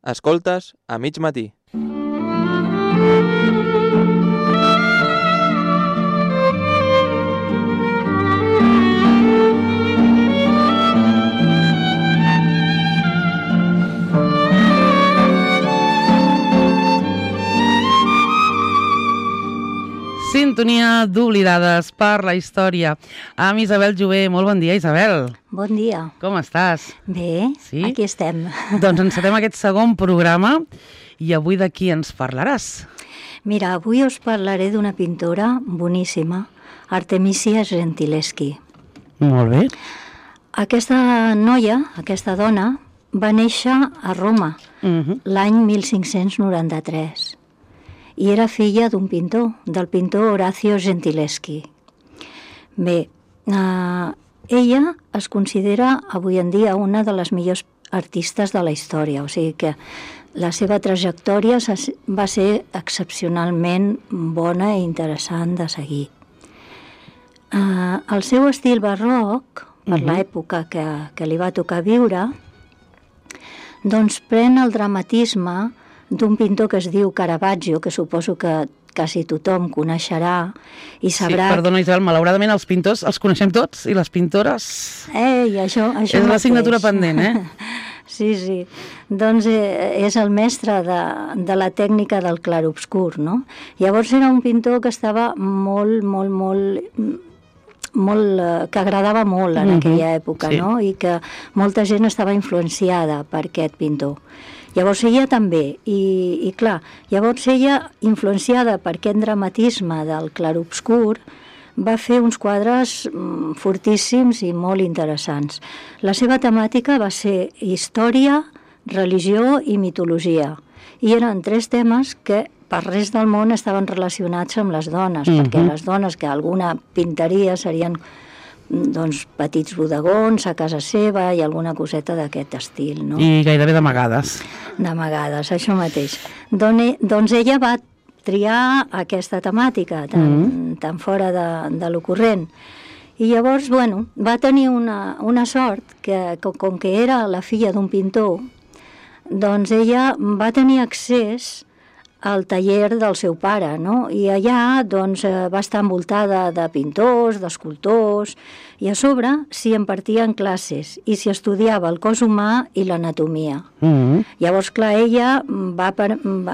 Escoltes a mig matí. Sintonia d'Oblidades per la història. Amb Isabel Jové. Molt bon dia, Isabel. Bon dia. Com estàs? Bé, sí? Aquí estem. Doncs encetem aquest segon programa i avui de qui ens parlaràs? Mira, avui us parlaré d'una pintora boníssima, Artemisia Gentileschi. Molt bé. Aquesta noia, aquesta dona, va néixer a Roma l'any 1593 i era filla d'un pintor, del pintor Orazio Gentileschi. Bé, ella es considera avui en dia una de les millors artistes de la història, o sigui que la seva trajectòria va ser excepcionalment bona i interessant de seguir. El seu estil barroc, per l'època que li va tocar viure, doncs pren el dramatisme d'un pintor que es diu Caravaggio, que suposo que quasi tothom coneixerà i sabrà... Sí, perdona, Isabel, malauradament els pintors els coneixem tots i les pintores... això és l'assignatura pendent, Sí. Doncs és el mestre de la tècnica del clarobscur, no? Llavors era un pintor que estava que agradava molt en aquella època, sí. No? I que molta gent estava influenciada per aquest pintor. Llavors ella també, i clar, llavors ella, influenciada per aquest dramatisme del clarobscur, va fer uns quadres fortíssims i molt interessants. La seva temàtica va ser història, religió i mitologia, i eren 3 temes que per res del món estaven relacionats amb les dones, perquè les dones que alguna pintaria serien doncs petits bodegons a casa seva i alguna coseta d'aquest estil, no? I gairebé d'amagades. D'amagades, això mateix. Doncs ella va triar aquesta temàtica tan fora de l'ocorrent. I llavors, va tenir una sort que, com que era la filla d'un pintor, doncs ella va tenir accés al taller del seu pare, no? I allà doncs, va estar envoltada de pintors, d'escultors, i a sobre s'hi impartien classes i s'hi estudiava el cos humà i l'anatomia. Llavors, clar,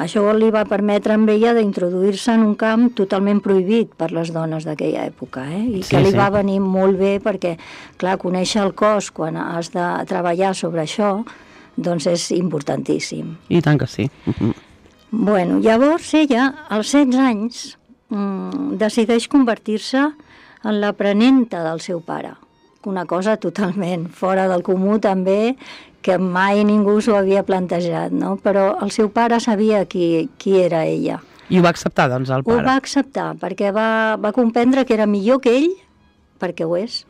això li va permetre amb ella d'introduir-se en un camp totalment prohibit per les dones d'aquella època, i que li va venir molt bé perquè, clar, conèixer el cos quan has de treballar sobre això, doncs és importantíssim. I tant que sí. Llavors ella, als 16 anys, decideix convertir-se en l'aprenenta del seu pare. Una cosa totalment fora del comú també, que mai ningú s'ho havia plantejat, no? Però el seu pare sabia qui era ella. I ho va acceptar, doncs, el pare? Ho va acceptar, perquè va comprendre que era millor que ell, perquè ho és,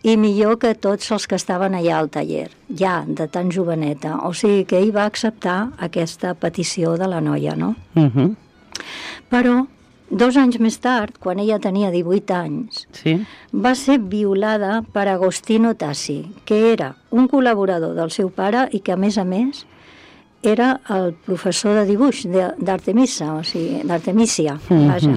i millor que tots els que estaven allà al taller, ja de tan joveneta. O sigui que ell va acceptar aquesta petició de la noia, no? Però 2 anys més tard, quan ella tenia 18 anys, va ser violada per Agostino Tassi, que era un col·laborador del seu pare i que, a més, era el professor de dibuix d'Artemisia, o sigui, d'Artemisia, vaja.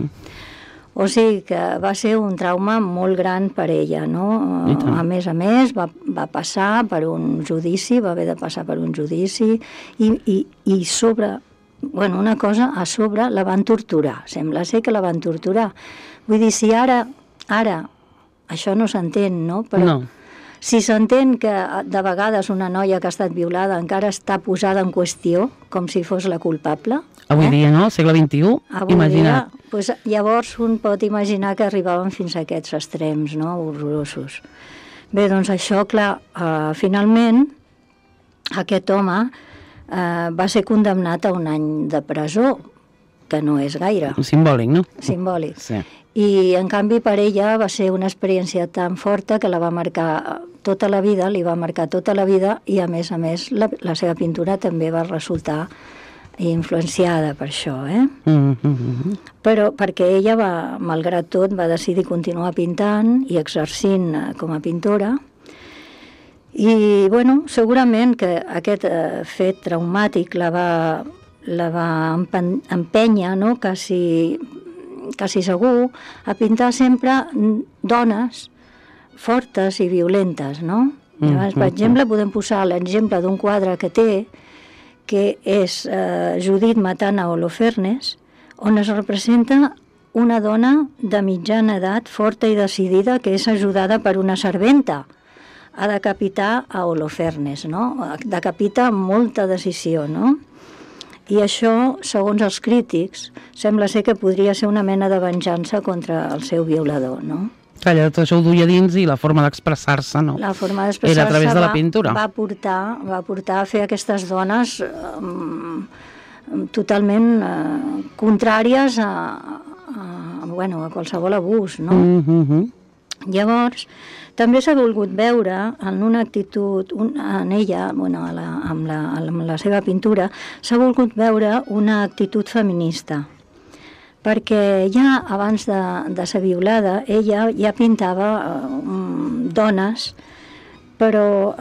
O sigui que va ser un trauma molt gran per ella, no? A més, va passar per un judici, va haver de passar per un judici i sobre, una cosa, a sobre la van torturar. Sembla ser que la van torturar. Vull dir, si ara això no s'entén, no? Però si s'entén que de vegades una noia que ha estat violada encara està posada en qüestió, com si fos la culpable... Avui dia, no? Al segle XXI, imagina't. Llavors un pot imaginar que arribaven fins a aquests extrems, no? Horrorosos. Bé, doncs això, clar, finalment aquest home va ser condemnat a 1 any de presó, que no és gaire. Simbòlic, no? Simbòlic. Sí. I, en canvi, per ella va ser una experiència tan forta que la va marcar tota la vida, li va marcar tota la vida, i, a més, la seva pintura també va resultar influenciada per això, Però perquè ella malgrat tot, va decidir continuar pintant i exercint com a pintora, I, bueno, segurament que aquest fet traumàtic la va empènyer, no?, quasi segur, a pintar sempre dones fortes i violentes, no? Llavors, per exemple, podem posar l'exemple d'un quadre que té, que és Judit matant a Holofernes, on es representa una dona de mitjana edat, forta i decidida, que és ajudada per una serventa a decapitar a Holofernes, no? Decapita amb molta decisió, no? I això, segons els crítics, sembla ser que podria ser una mena de venjança contra el seu violador, no? Calla, tot això ho duia dins i la forma d'expressar-se, no? La forma d'expressar-se era a través de la pintura. va portar a fer aquestes dones totalment contràries a qualsevol abús, no? Llavors, també s'ha volgut veure en una actitud, en ella, amb la seva pintura, s'ha volgut veure una actitud feminista, perquè ja abans de ser violada, ella ja pintava dones, però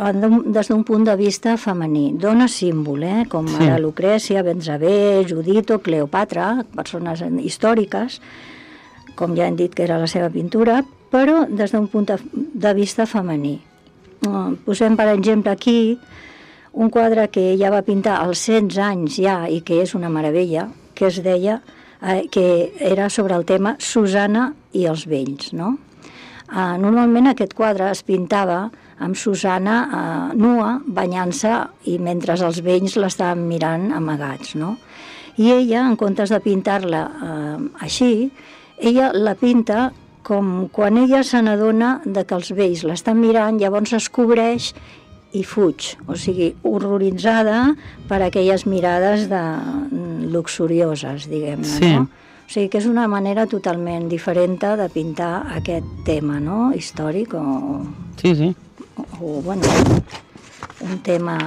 des d'un punt de vista femení. Dones símbol, com ara Lucrècia, Benzabé, Judit o Cleopatra, persones històriques, com ja hem dit que era la seva pintura, però des d'un punt de vista femení. Posem, per exemple, aquí un quadre que ella va pintar als 100 anys ja i que és una meravella, que es deia, que era sobre el tema Susana i els vells, no? Normalment aquest quadre es pintava amb Susana nua, banyant-se, i mentre els vells l'estaven mirant amagats, no? I ella, en comptes de pintar-la així, ella la pinta com quan ella se n'adona que els vells l'estan mirant, llavors es cobreix i fuig, o sigui, horroritzada per aquelles mirades luxurioses, diguem-ne, no? O sigui que és una manera totalment diferent de pintar aquest tema, no?, històric o bueno, un tema...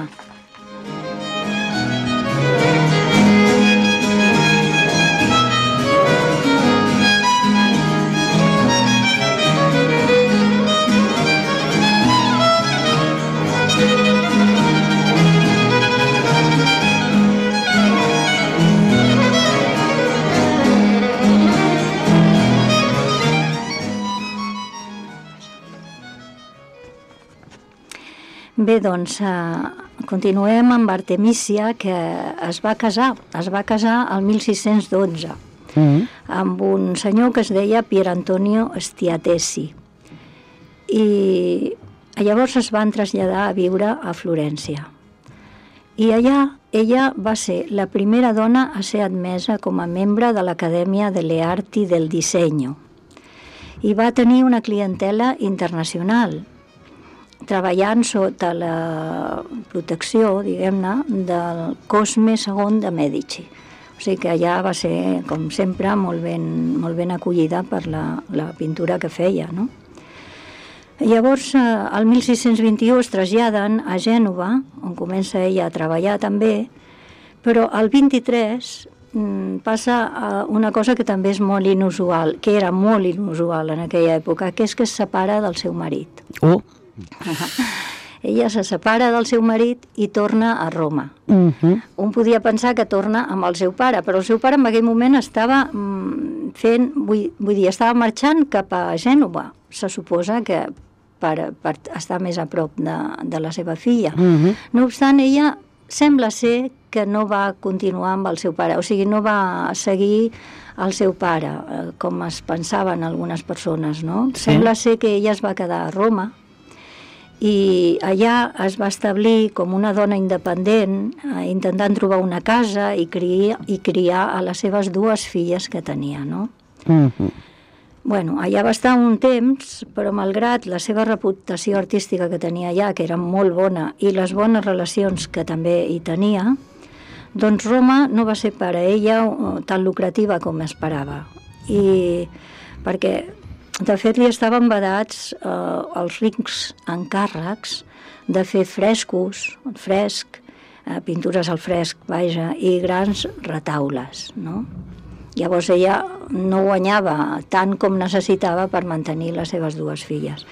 Bé, doncs, continuem amb Artemisia, que es va casar el 1612 amb un senyor que es deia Pier Antonio Stiatesi. I llavors es van traslladar a viure a Florència. I allà ella va ser la primera dona a ser admesa com a membre de l'Acadèmia delle Arti del Disegno. I va tenir una clientela internacional, treballant sota la protecció, diguem-ne, del Cosme II de Mèdici. O sigui que allà va ser, com sempre, molt ben acollida per la pintura que feia, no? Llavors, el 1621 es traslladen a Gènova, on comença ella a treballar també, però el 23 passa una cosa que també és molt inusual, que era molt inusual en aquella època, que és que es separa del seu marit. Ella se separa del seu marit i torna a Roma. Un podia pensar que torna amb el seu pare, però el seu pare en aquell moment estava estava marxant cap a Gènova. Se suposa que per estar més a prop de la seva filla. No obstant, ella sembla ser que no va continuar amb el seu pare, o sigui, no va seguir el seu pare, com es pensaven algunes persones, no? Sembla ser que ella es va quedar a Roma, i allà es va establir com una dona independent, intentant trobar una casa i criar a les seves dues filles que tenia, no? Bueno, allà va estar un temps, però malgrat la seva reputació artística que tenia allà, que era molt bona, i les bones relacions que també hi tenia, doncs Roma no va ser per a ella tan lucrativa com esperava. I perquè de fet, li estaven vedats els rics encàrrecs de fer fresc, pintures al fresc, vaja, i grans retaules, no? Llavors ella no guanyava tant com necessitava per mantenir les seves dues filles.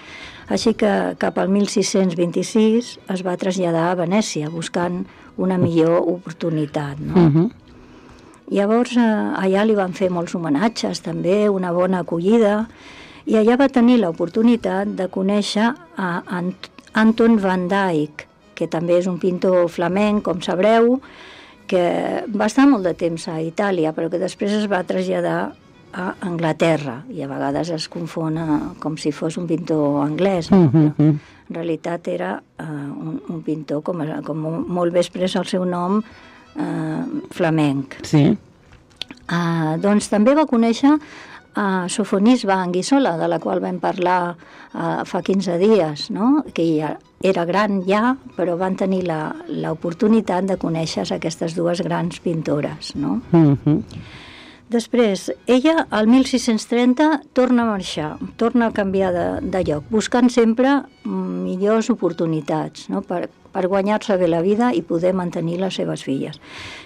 Així que cap al 1626 es va traslladar a Venècia buscant una millor oportunitat, no? Llavors allà li van fer molts homenatges també, una bona acollida, i allà va tenir l'oportunitat de conèixer a Anton van Dyck, que també és un pintor flamenc, com sabreu, que va estar molt de temps a Itàlia, però que després es va traslladar a Anglaterra, i a vegades es confon com si fos un pintor anglès. En realitat era un pintor, com molt bé expressa el seu nom, flamenc. Sí. Doncs també va conèixer a Sofonisba Anguissola, de la qual vam parlar fa 15 dies, no? Que ja era gran ja, però van tenir l'oportunitat de conèixer aquestes dues grans pintores, no? Després, ella, al 1630, torna a marxar, torna a canviar de lloc, buscant sempre millors oportunitats, no? Per guanyar-se bé la vida i poder mantenir les seves filles.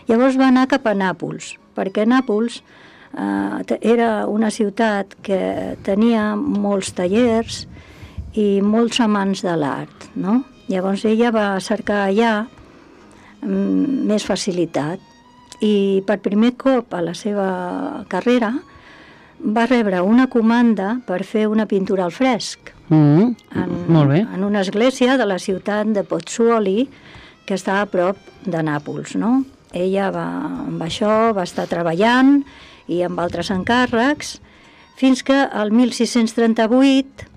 Llavors va anar cap a Nàpols, perquè Nàpols era una ciutat que tenia molts tallers i molts amants de l'art, no? Llavors ella va cercar allà més facilitat i per primer cop a la seva carrera va rebre una comanda per fer una pintura al fresc molt bé. en una església de la ciutat de Pozzuoli, que està a prop de Nàpols, no? Ella amb això va estar treballant i amb altres encàrrecs, fins que el 1638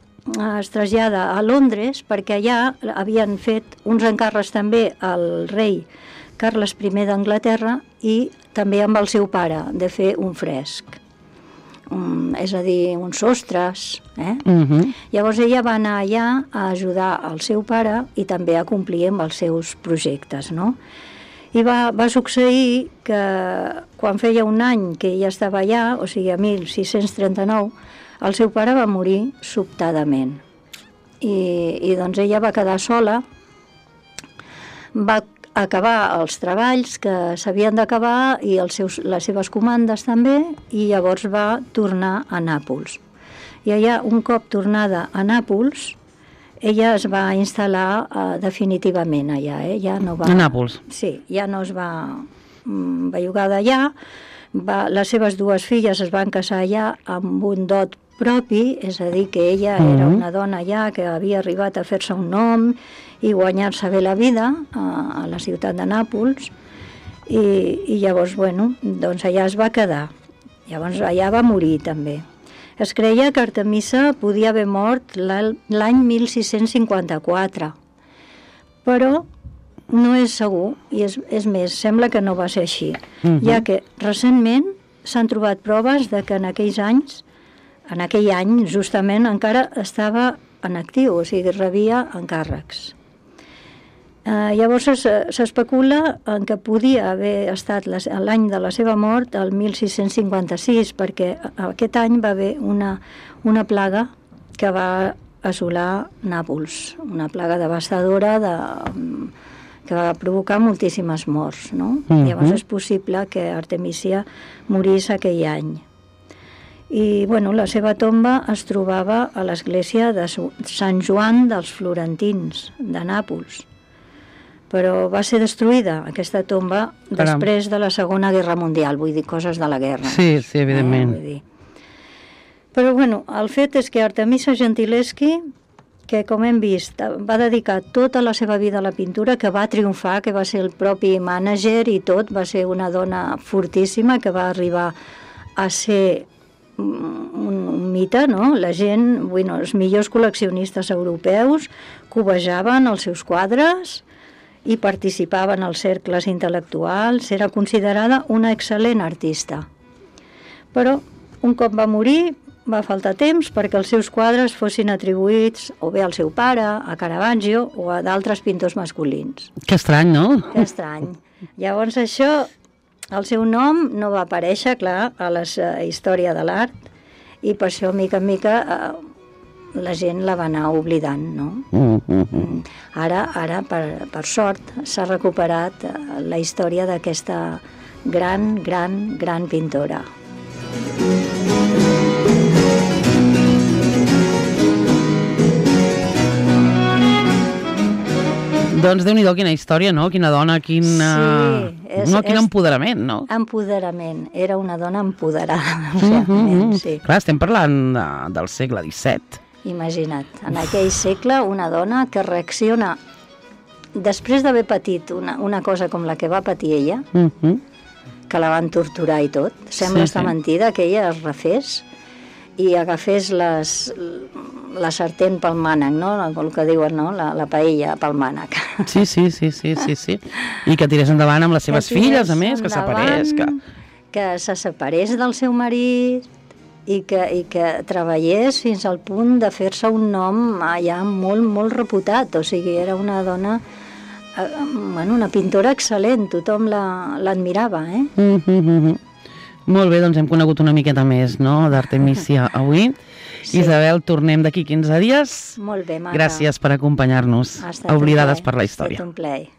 es trasllada a Londres, perquè allà havien fet uns encàrrecs també al rei Carles I d'Anglaterra i també amb el seu pare, de fer un fresc. És a dir, uns sostres. Llavors ella va anar allà a ajudar el seu pare i també a complir amb els seus projectes, no? I va succeir que quan feia un any que ella estava allà, o sigui, a 1639, el seu pare va morir sobtadament. I doncs ella va quedar sola, va acabar els treballs que s'havien d'acabar i les seves comandes també, i llavors va tornar a Nàpols. I allà, un cop tornada a Nàpols, ella es va instal·lar definitivament allà, ja no va... A Nàpols. Sí, ja no es va bellugar d'allà. Les seves dues filles es van casar allà amb un dot propi, és a dir, que ella era una dona ja que havia arribat a fer-se un nom i guanyar-se bé la vida a la ciutat de Nàpols, i llavors, bueno, doncs allà es va quedar. Llavors allà va morir també. Es creia que Artemisa podia haver mort l'any 1654, però no és segur, i és més, sembla que no va ser així, ja que recentment s'han trobat proves de que en aquell any justament encara estava en actiu, o sigui, rebia encàrrecs. Llavors s'especula en que podia haver estat l'any de la seva mort, el 1656, perquè aquest any va haver una plaga que va assolar Nàpols, una plaga devastadora que va provocar moltíssimes morts, no? Llavors és possible que Artemisia morís aquell any. I, bueno, la seva tomba es trobava a l'església de Sant Joan dels Florentins, de Nàpols. Però va ser destruïda, aquesta tomba, després de la Segona Guerra Mundial, vull dir, coses de la guerra. Sí, evidentment. Però, bueno, el fet és que Artemisa Gentileschi, que, com hem vist, va dedicar tota la seva vida a la pintura, que va triomfar, que va ser el propi mànager i tot, va ser una dona fortíssima, que va arribar a ser un mite, no? La gent, bueno, els millors col·leccionistes europeus cobejaven els seus quadres i participaven als cercles intel·lectuals, era considerada una excel·lent artista. Però un cop va morir, va faltar temps perquè els seus quadres fossin atribuïts o bé al seu pare, a Caravaggio o a d'altres pintors masculins. Que estrany, no? Que estrany. Llavors això, el seu nom no va aparèixer, clar, a la història de l'art, i per això, mica en mica, la gent la va anar oblidant, no? Ara per sort, s'ha recuperat la història d'aquesta gran pintora. Doncs Déu-n'hi-do, quina història, no? Quina dona, quin empoderament, no? Empoderament. Era una dona empoderada, realment, sí. Clar, estem parlant del segle XVII. Imagina't, en aquell segle una dona que reacciona després d'haver patit una cosa com la que va patir ella, que la van torturar i tot. Sembla estar mentida que ella es refés i agafés la sartén pel mànec, no? El que diuen, no? La paella pel mànec. Sí. I que tirés endavant amb les seves filles, a més, que separés. Que se separés del seu marit i que treballés fins al punt de fer-se un nom ja molt, molt reputat. O sigui, era una dona, una pintora excel·lent, tothom l'admirava, Molt bé, doncs hem conegut una miqueta més, no?, d'Artemisia avui. Sí. Isabel, tornem d'aquí 15 dies. Molt bé, maca. Gràcies per acompanyar-nos a Oblidades per la Història. Ha estat un plaer.